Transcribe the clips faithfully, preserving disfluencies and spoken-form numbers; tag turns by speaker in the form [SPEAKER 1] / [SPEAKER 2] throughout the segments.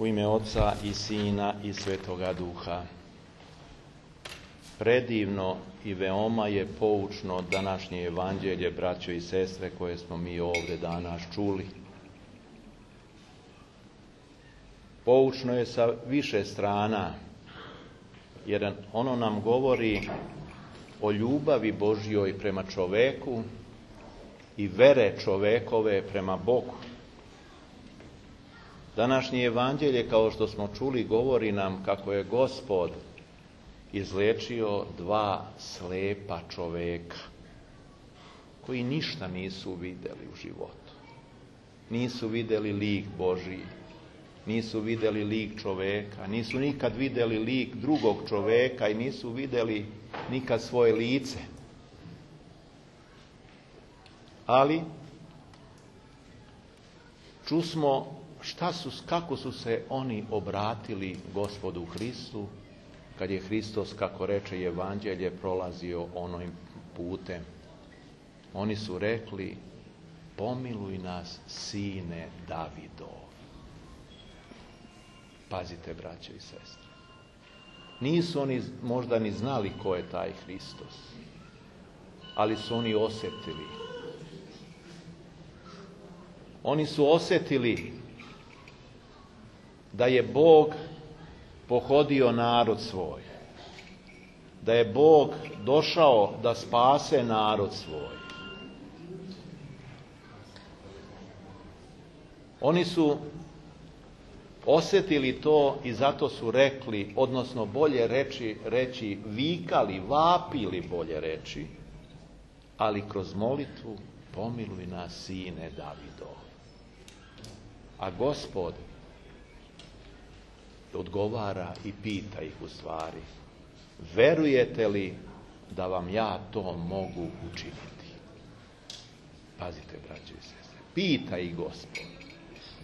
[SPEAKER 1] U ime Oca i Sina i Svetoga Duha. Predivno i veoma je poučno današnje evanđelje, braćo i sestre, koje smo mi ovdje danas čuli. Poučno je sa više strana, jer ono nam govori o ljubavi Božjoj prema čoveku i vere čovekove prema Bogu. Današnje evanđelje, kao što smo čuli, govori nam kako je Gospod izliječio dva slepa čoveka koji ništa nisu vidjeli u životu. Nisu vidjeli lik Božji, nisu vidjeli lik čoveka, nisu nikad vidjeli lik drugog čoveka i nisu vidjeli nikad svoje lice. Ali čusmo šta su, kako su se oni obratili Gospodu Hristu kad je Hristos, kako reče evanđelje, prolazio onim putem. Oni su rekli: pomiluj nas, sine Davidov. Pazite, braće i sestre. Nisu oni možda ni znali ko je taj Hristos, ali su oni osjetili. Oni su osjetili da je Bog pohodio narod svoj, da je Bog došao da spase narod svoj. Oni su osjetili to i zato su rekli, odnosno bolje reći, reći vikali, vapili, bolje reći, ali kroz molitvu: pomiluj nas, sine Davidov. A Gospod odgovara i pita ih u stvari: verujete li da vam ja to mogu učiniti? Pazite, braće i sestre, pita ih Gospod.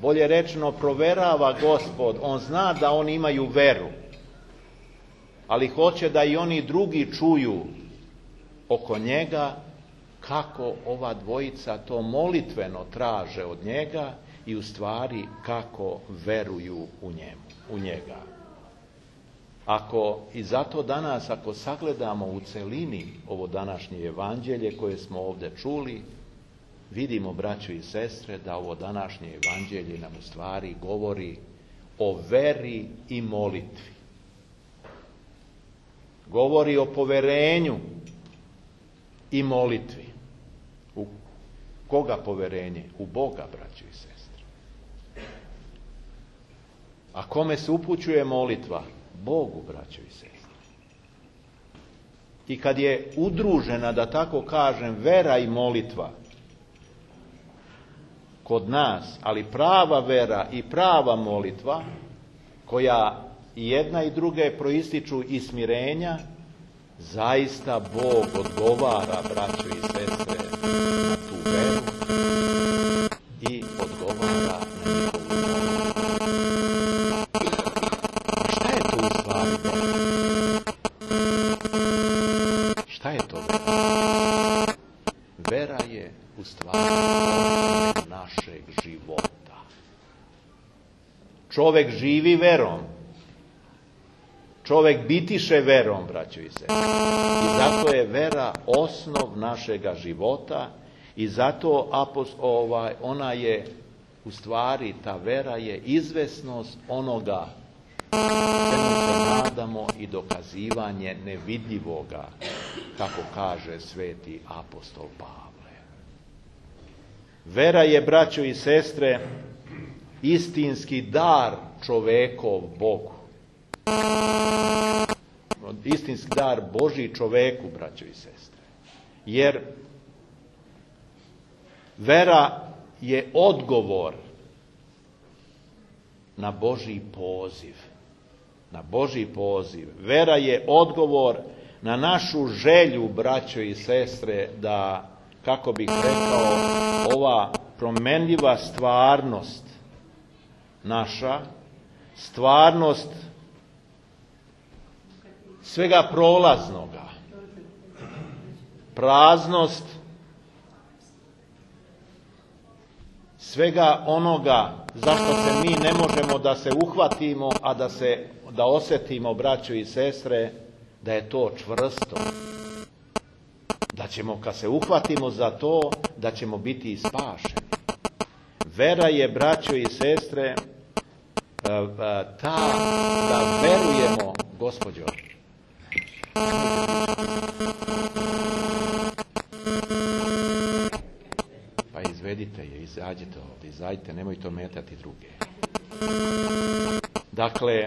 [SPEAKER 1] Bolje rečeno, proverava Gospod. On zna da oni imaju veru, ali hoće da i oni drugi čuju oko njega kako ova dvojica to molitveno traže od njega i u stvari kako veruju u njemu, u njega. Ako i zato danas, ako sagledamo u celini ovo današnje evanđelje koje smo ovdje čuli, vidimo, braćo i sestre, da ovo današnje evanđelje nam u stvari govori o veri i molitvi. Govori o poverenju i molitvi. U koga poverenje? U Boga, braćo i sestre. A kome se upućuje molitva? Bogu, braćo i sestre. I kad je udružena, da tako kažem, vera i molitva kod nas, ali prava vera i prava molitva, koja i jedna i druge proističu iz smirenja, zaista Bog odgovara, braćo i sestre, na tu veru i odgovara na njihovu molitvu. Šta je to u stvari vera? Šta je to vera? Vera je u stvari našeg života. Čovek živi verom. Čovek bitiše verom, braćo i sestre. I zato je vera osnov našega života i zato apost, ovaj, ona je, u stvari, ta vera je izvesnost onoga čemu se nadamo i dokazivanje nevidljivoga, kako kaže sveti apostol Pavle. Vera je, braćo i sestre, istinski dar čovekov Bogu. Istinski dar Božji čoveku, braćo i sestre. Jer vera je odgovor na Božji poziv. Na Božji poziv. Vera je odgovor na našu želju, braćo i sestre, da, kako bih rekao, ova promenljiva stvarnost naša, stvarnost svega prolaznoga, praznost svega onoga zašto se mi ne možemo da se uhvatimo, a da se da osjetimo, braćo i sestre, da je to čvrsto. Da ćemo, kad se uhvatimo za to, da ćemo biti i spašeni. Vera je, braćo i sestre, ta da verujemo, gospođo. Pa izvedite je, izađite ovdje, izađite, nemojte ometati druge. Dakle,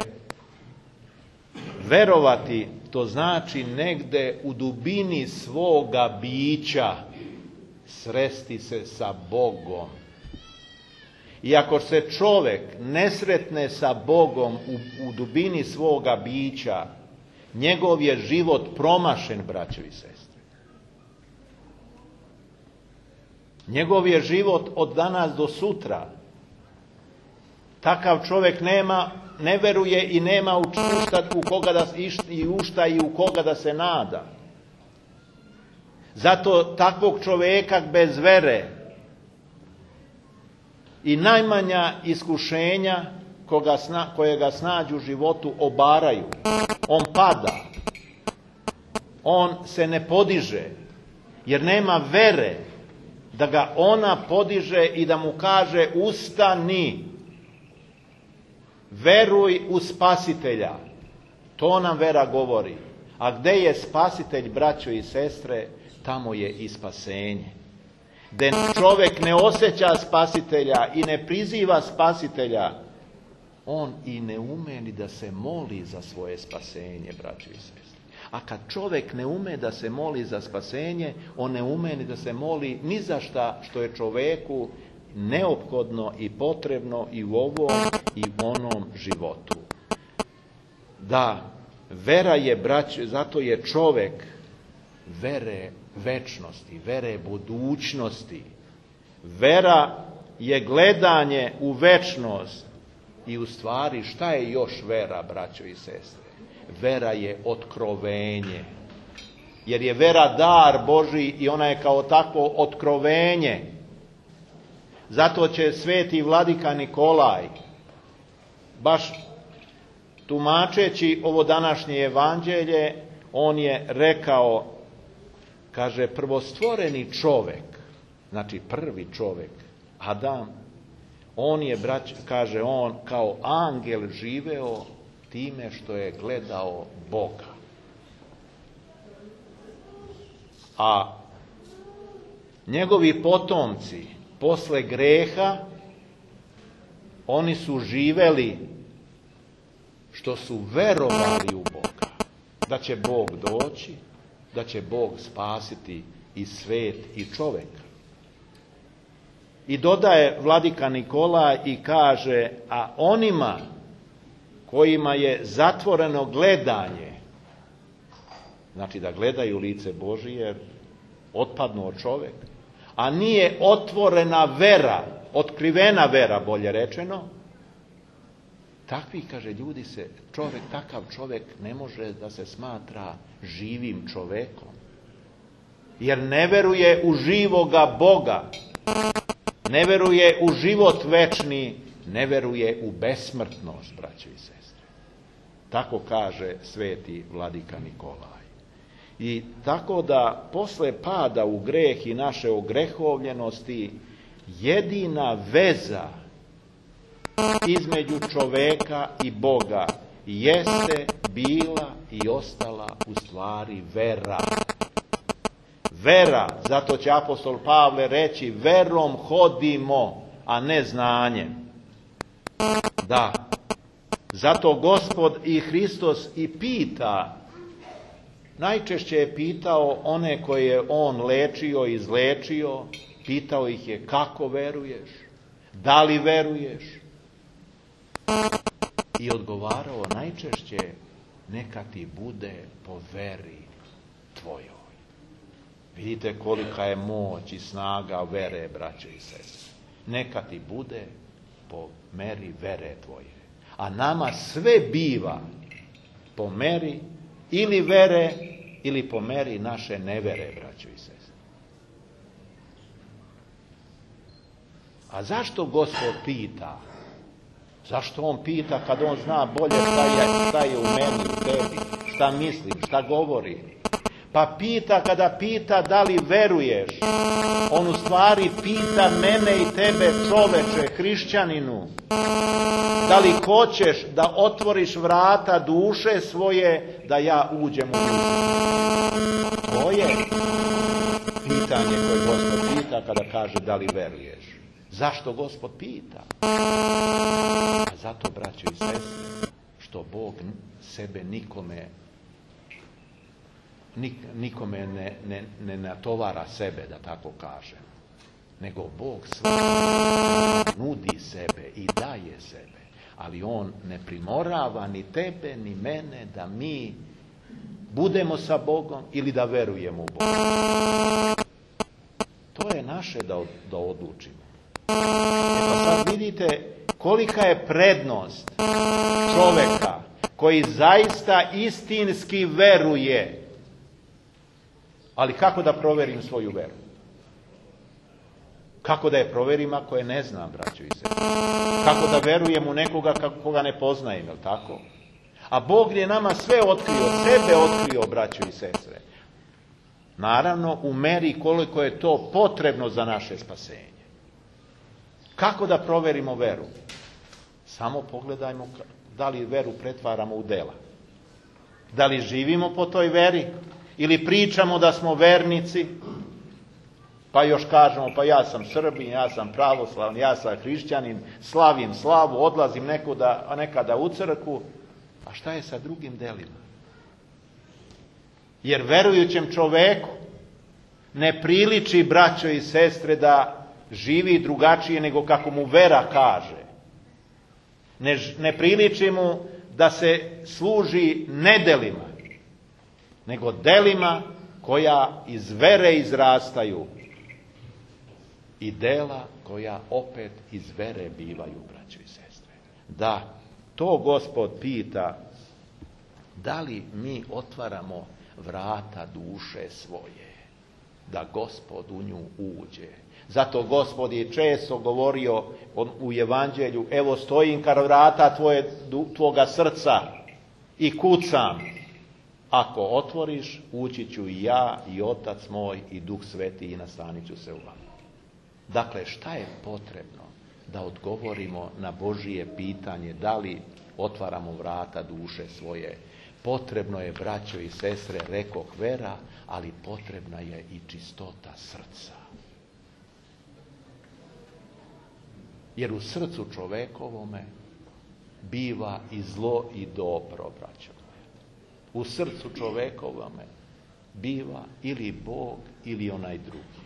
[SPEAKER 1] verovati, to znači negde u dubini svoga bića sresti se sa Bogom. I ako se čovjek ne sretne sa Bogom u, u dubini svoga bića, njegov je život promašen, braćo i sestre. Njegov je život od danas do sutra. Takav čovjek nema, ne veruje i nema u šta, u koga da, i u šta i u koga da se nada. Zato takvog čovjeka bez vere i najmanja iskušenja koga sna, koje ga snađu u životu obaraju. On pada. On se ne podiže. Jer nema vere da ga ona podiže i da mu kaže ustani. Veruj u Spasitelja. To nam vera govori. A gde je Spasitelj, braćo i sestre, tamo je i spasenje. Gde čovjek ne osjeća Spasitelja i ne priziva Spasitelja, on i ne ume ni da se moli za svoje spasenje, braćo i sestre. A kad čovjek ne ume da se moli za spasenje, on ne ume ni da se moli ni za šta što je čovjeku neophodno i potrebno i u ovom i u onom životu. Da, vera je, braćo, zato je čovjek vere večnosti, vere budućnosti. Vera je gledanje u večnost i u stvari šta je još vera, braćo i sestre? Vera je otkrovenje. Jer je vera dar Božji i ona je kao takvo otkrovenje. Zato će sveti vladika Nikolaj, baš tumačeći ovo današnje evanđelje, on je rekao, kaže, prvostvoreni čovjek, znači prvi čovjek, Adam, on je, brać, kaže on, kao angel živeo time što je gledao Boga. A njegovi potomci, posle greha, oni su živeli što su verovali u Boga. Da će Bog doći, da će Bog spasiti i svet i čovjeka. I dodaje vladika Nikolaj i kaže, a onima kojima je zatvoreno gledanje, znači da gledaju lice Božije, otpadnu od čovjeka, a nije otvorena vera, otkrivena vera, bolje rečeno, takvi, kaže, ljudi se, čovjek, takav čovjek ne može da se smatra živim čovjekom. Jer ne veruje u živoga Boga, ne veruje u život večni, ne veruje u besmrtnost, braćo i sestre. Tako kaže sveti vladika Nikolaj. I tako da posle pada u greh i naše ogrehovljenosti, jedina veza između čoveka i Boga jeste bila i ostala u stvari vera. Vera, zato će apostol Pavle reći, verom hodimo, a ne znanjem. Da, zato Gospod i Hristos i pita, najčešće je pitao one koje je on lečio i izlečio, pitao ih je kako veruješ, da li veruješ? I odgovarao najčešće, neka ti bude po veri tvojoj. Vidite kolika je moć i snaga vere, braće i sestre. Neka ti bude po meri vere tvoje. A nama sve biva po meri ili vere ili po meri naše nevere, braćo i sestre. A zašto Gospod pita? Zašto on pita kad on zna bolje šta je, šta je u meni, u tebi, šta mislim, šta govori? Pa pita kada pita da li veruješ. On u stvari pita mene i tebe, čoveče, hrišćaninu. Da li hoćeš da otvoriš vrata duše svoje da ja uđem u nju? To je pitanje koje Gospod pita kada kaže da li veruješ. Zašto Gospod pita? A zato, braćo i sestre, što Bog sebe nikome nik, nikome ne, ne, ne natovara sebe, da tako kažem. Nego Bog svaki nudi sebe i daje sebe. Ali on ne primorava ni tebe, ni mene da mi budemo sa Bogom ili da verujemo u Boga. To je naše da, da odlučimo. E pa sad vidite kolika je prednost čoveka koji zaista istinski veruje. Ali kako da proverim svoju veru? Kako da je proverim ako je ne znam, braćo i sestre? Kako da verujem u nekoga koga ne poznajem, je li tako? A Bog je nama sve otkrio, sebe otkrio, braćo i sestre. Naravno, u meri koliko je to potrebno za naše spasenje. Kako da proverimo veru? Samo pogledajmo da li veru pretvaramo u dela. Da li živimo po toj veri? Ili pričamo da smo vernici? Pa još kažemo, pa ja sam Srbin, ja sam pravoslavni, ja sam hrišćanin, slavim slavu, odlazim nekuda, nekada u crkvu. A šta je sa drugim delima? Jer verujućem čoveku ne priliči, braćo i sestre, da živi drugačije nego kako mu vera kaže. Ne, ne priliči mu da se služi nedelima, nego delima koja iz vere izrastaju i dela koja opet iz vere bivaju, braćo i sestre. Da, to Gospod pita, da li mi otvaramo vrata duše svoje, da Gospod u nju uđe. Zato Gospod je često govorio u evanđelju, evo stojim kar vrata tvoje, tvoga srca i kucam. Ako otvoriš, ući ću i ja, i Otac moj, i Duh Sveti, i nastanit ću se u vama. Dakle, šta je potrebno da odgovorimo na Božije pitanje, da li otvaramo vrata duše svoje? Potrebno je, braćo i sestre, rekoh, vera, ali potrebna je i čistota srca. Jer u srcu čovekovome biva i zlo i dobro, braćo. U srcu čovekovome biva ili Bog ili onaj drugi.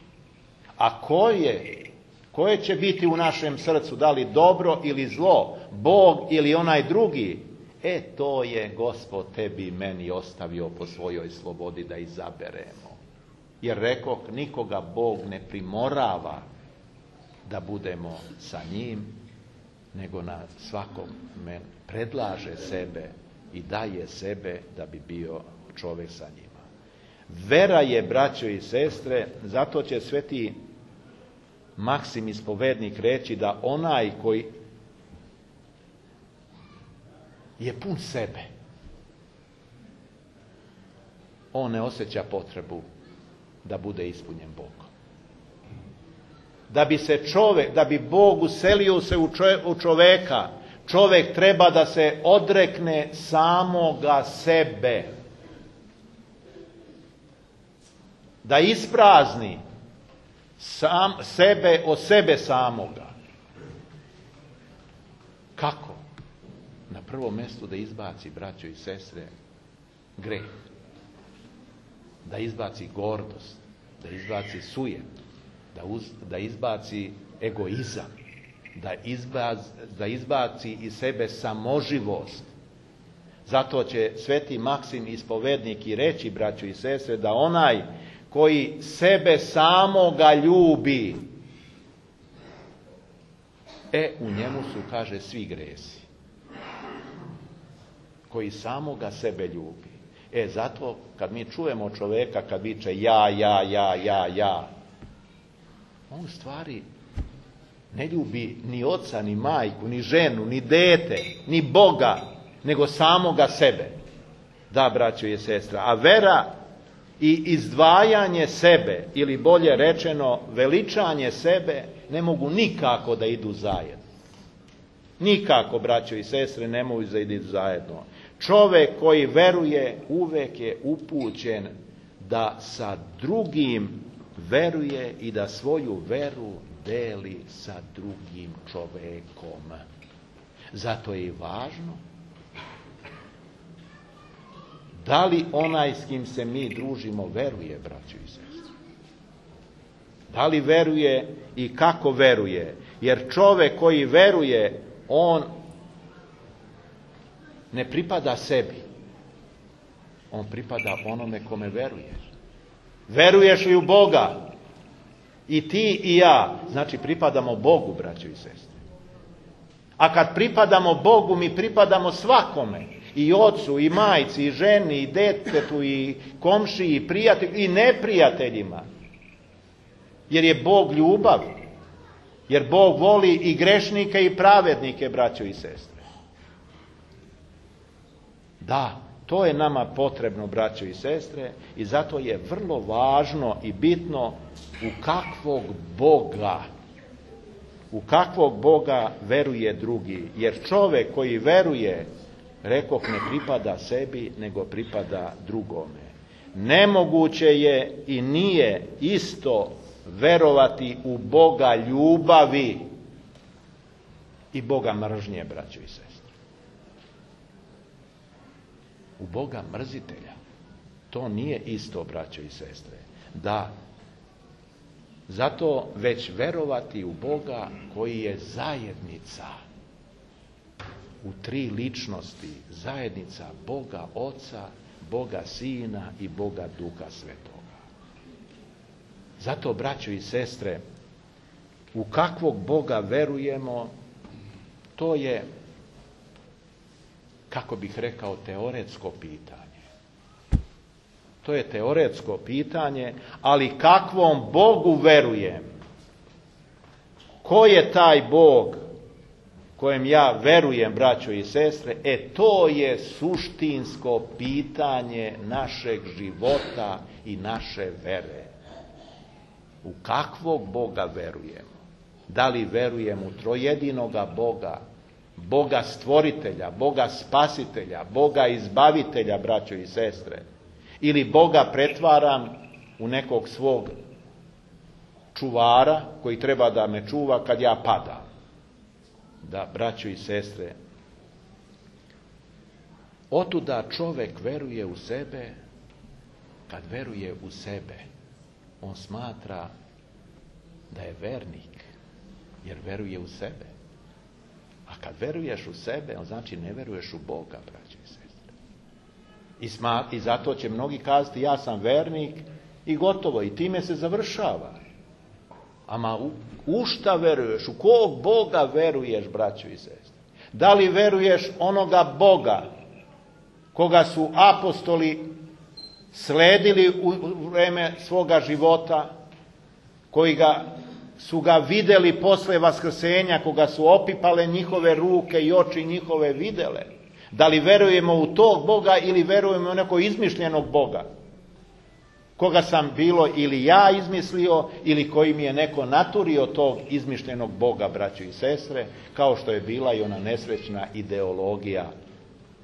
[SPEAKER 1] A koje, koje će biti u našem srcu, da li dobro ili zlo, Bog ili onaj drugi, e to je Gospod tebi i meni ostavio po svojoj slobodi da izaberemo. Jer rekoh, nikoga Bog ne primorava da budemo sa njim, nego na svakom men predlaže sebe i daje sebe da bi bio čovjek sa njima. Vera je, braćo i sestre, zato će sveti Maksim ispovednik reći da onaj koji je pun sebe, on ne osjeća potrebu da bude ispunjen Bogom. Da bi se čovjek, da bi Bog uselio se u čovjeka, čovjek treba da se odrekne samoga sebe. Da isprazni sam, sebe od sebe samoga. Kako? Na prvom mjestu da izbaci, braćo i sestre, greh. Da izbaci gordost, da izbaci sujet, da, uz, da izbaci egoizam, da, izbaz, da izbaci iz sebe samoživost. Zato će sveti Maksim ispovednik i reći, braćo i sestre, da onaj koji sebe samoga ljubi, e, u njemu su, kaže, svi gresi. Koji samoga sebe ljubi. E, zato kad mi čujemo čovjeka kad viče ja, ja, ja, ja, ja, on u stvari ne ljubi ni oca, ni majku, ni ženu, ni dete, ni Boga, nego samoga sebe. Da, braćo i sestra, a vera i izdvajanje sebe, ili bolje rečeno veličanje sebe, ne mogu nikako da idu zajedno. Nikako, braćo i sestre, ne mogu da idu zajedno. Čovek koji veruje uvek je upućen da sa drugim veruje i da svoju veru deli sa drugim čovekom. Zato je i važno da li onaj s kim se mi družimo veruje, braćo i sestre. Da li veruje i kako veruje. Jer čovek koji veruje, on ne pripada sebi. On pripada onome kome veruješ. Veruješ li u Boga? I ti i ja. Znači pripadamo Bogu, braćo i sestre. A kad pripadamo Bogu, mi pripadamo svakome. I ocu, i majci, i ženi, i detetu, i komšiji, i prijatelju, i neprijateljima. Jer je Bog ljubav. Jer Bog voli i grešnike i pravednike, braćo i sestre. Da, to je nama potrebno, braćo i sestre, i zato je vrlo važno i bitno u kakvog Boga, u kakvog Boga veruje drugi. Jer čovek koji veruje, rekoh, ne pripada sebi, nego pripada drugome. Nemoguće je i nije isto verovati u Boga ljubavi i Boga mržnje, braćo i sestre. U Boga mrzitelja. To nije isto, braćo i sestre. Da, zato već verovati u Boga koji je zajednica u tri ličnosti, zajednica Boga Oca, Boga Sina i Boga Duha Svetoga. Zato, braćo i sestre, u kakvog Boga verujemo, to je, kako bih rekao, teoretsko pitanje. To je teoretsko pitanje, ali kakvom Bogu verujem? Ko je taj Bog kojem ja verujem, braćo i sestre? E, to je suštinsko pitanje našeg života i naše vere. U kakvog Boga verujemo? Da li verujemo u trojedinoga Boga, Boga stvoritelja, Boga spasitelja, Boga izbavitelja, braćo i sestre? Ili Boga pretvaram u nekog svog čuvara koji treba da me čuva kad ja padam? Da, braćo i sestre, otuda čovek veruje u sebe. Kad veruje u sebe, on smatra da je vernik, jer veruje u sebe. A kad veruješ u sebe, on znači ne veruješ u Boga, braćo i sestre. I, sma, I zato će mnogi kazati, ja sam vernik i gotovo, i time se završava. Ama u, u šta veruješ? U kog Boga veruješ, braćo i sestre? Da li veruješ onoga Boga koga su apostoli sledili u vreme svoga života, koji ga, su ga videli posle vaskrsenja, koga su opipale njihove ruke i oči njihove videle? Da li verujemo u tog Boga ili verujemo u nekog izmišljenog Boga? Koga sam bilo ili ja izmislio ili koji mi je neko naturio tog izmišljenog Boga, braćo i sestre, kao što je bila i ona nesrećna ideologija.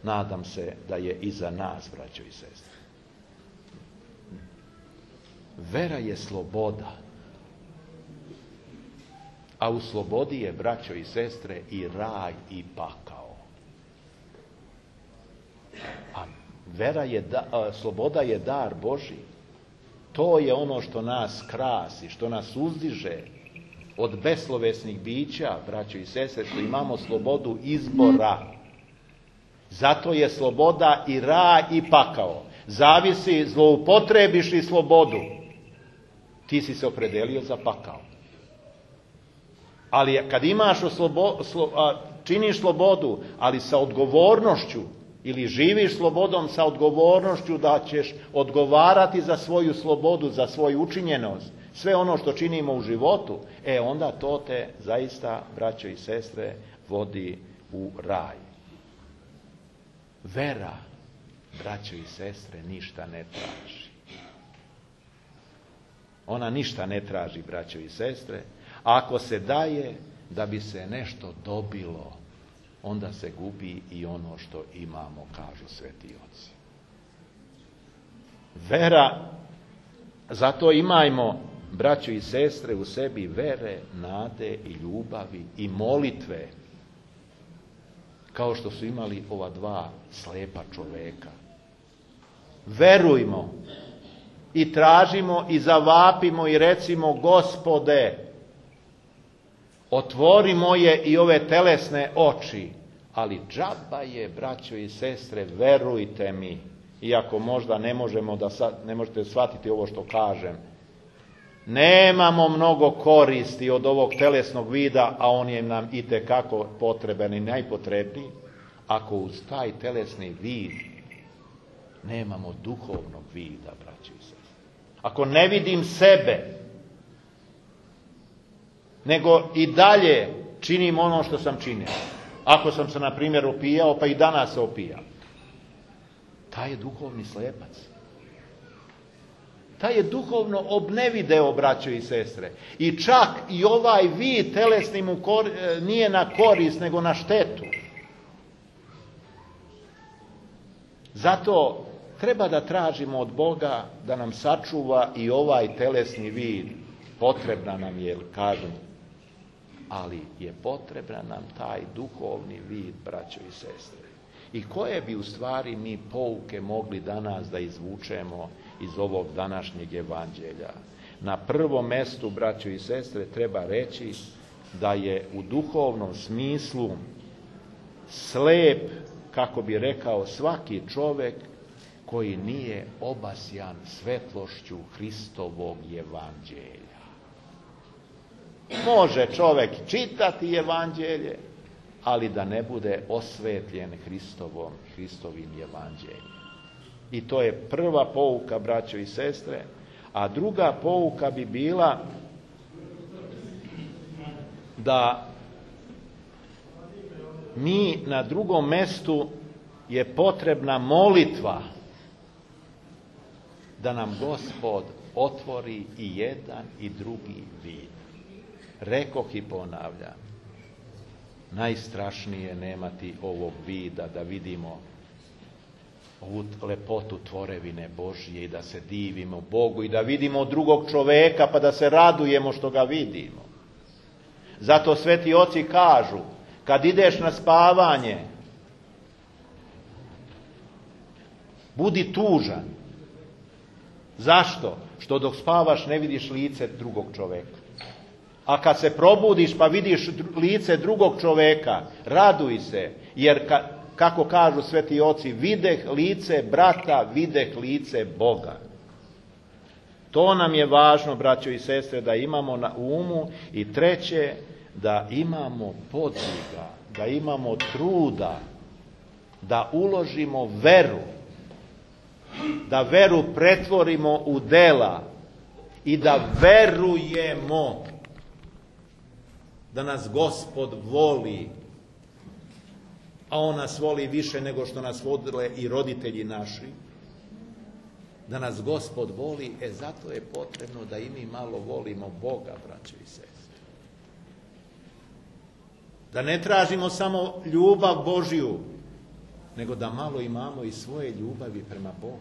[SPEAKER 1] Nadam se da je iza nas, braćo i sestre. Vera je sloboda. A u slobodi je, braćo i sestre, i raj i pakao. A vera je, da, a, sloboda je dar Božji. To je ono što nas krasi, što nas uzdiže od beslovesnih bića, braćo i sestre, što imamo slobodu izbora. Zato je sloboda i raj i pakao. Zavisi, zloupotrebiš li slobodu, ti si se opredelio za pakao. Ali kad imaš oslobo, slo, a, činiš slobodu, ali sa odgovornošću, ili živiš slobodom sa odgovornošću da ćeš odgovarati za svoju slobodu, za svoju učinjenost, sve ono što činimo u životu, e onda to te zaista, braćo i sestre, vodi u raj. Vera, braćo i sestre, ništa ne traži. Ona ništa ne traži, braćo i sestre. Ako se daje da bi se nešto dobilo, onda se gubi i ono što imamo, kažu sveti oci. Vera, zato imajmo, braćo i sestre, u sebi vere, nade i ljubavi i molitve, kao što su imali ova dva slepa čoveka. Verujmo i tražimo i zavapimo i recimo: Gospode, otvori moje i ove telesne oči, ali džaba je, braćo i sestre, verujte mi, iako možda ne možemo da ne možete shvatiti ovo što kažem, nemamo mnogo koristi od ovog telesnog vida, a on je nam itekako potreban i najpotrebniji, ako uz taj telesni vid nemamo duhovnog vida, braćo i sestre. Ako ne vidim sebe, nego i dalje činim ono što sam činio. Ako sam se, na primjer, opijao, pa i danas se opijam. Taj je duhovni slepac. Taj je duhovno obnevideo, braćo i sestre. I čak i ovaj vid telesni mu kor, nije na korist, nego na štetu. Zato treba da tražimo od Boga da nam sačuva i ovaj telesni vid. Potrebna nam je, kažem, ali je potrebna nam taj duhovni vid, braćo i sestre. I koje bi u stvari mi pouke mogli danas da izvučemo iz ovog današnjeg evanđelja? Na prvom mestu, braćo i sestre, treba reći da je u duhovnom smislu slep, kako bi rekao, svaki čovjek koji nije obasjan svetlošću Hristovog evanđelja. Može čovjek čitati evanđelje, ali da ne bude osvetljen Hristovom, Hristovim evanđeljem. I to je prva pouka, braćo i sestre. A druga pouka bi bila da mi na drugom mestu je potrebna molitva da nam Gospod otvori i jedan i drugi vid. Rekoh i ponavljam, najstrašnije nemati ovog vida, da vidimo ovu lepotu tvorevine Božje i da se divimo Bogu i da vidimo drugog čoveka pa da se radujemo što ga vidimo. Zato sveti oci kažu, kad ideš na spavanje, budi tužan. Zašto? Što dok spavaš ne vidiš lice drugog čoveka. A kad se probudiš pa vidiš lice drugog čoveka, raduj se, jer ka, kako kažu sveti oci, videh lice brata, videh lice Boga. To nam je važno, braćo i sestre, da imamo na umu. I treće, da imamo podviga, da imamo truda, da uložimo veru, da veru pretvorimo u dela i da verujemo da nas Gospod voli, a On nas voli više nego što nas vodile i roditelji naši. Da nas Gospod voli, e zato je potrebno da i mi malo volimo Boga, braćo i sestre. Da ne tražimo samo ljubav Božju, nego da malo imamo i svoje ljubavi prema Bogu.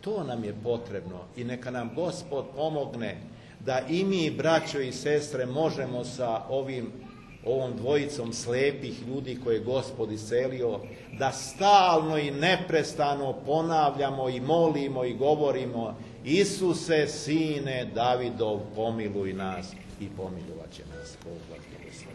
[SPEAKER 1] To nam je potrebno i neka nam Gospod pomogne da i mi, braćo i sestre, možemo sa ovim, ovom dvojicom slepih ljudi koje je Gospod iscelio, da stalno i neprestano ponavljamo i molimo i govorimo: Isuse, sine Davidov, pomiluj nas, i pomilovat će nas. Bog vas blagoslovi.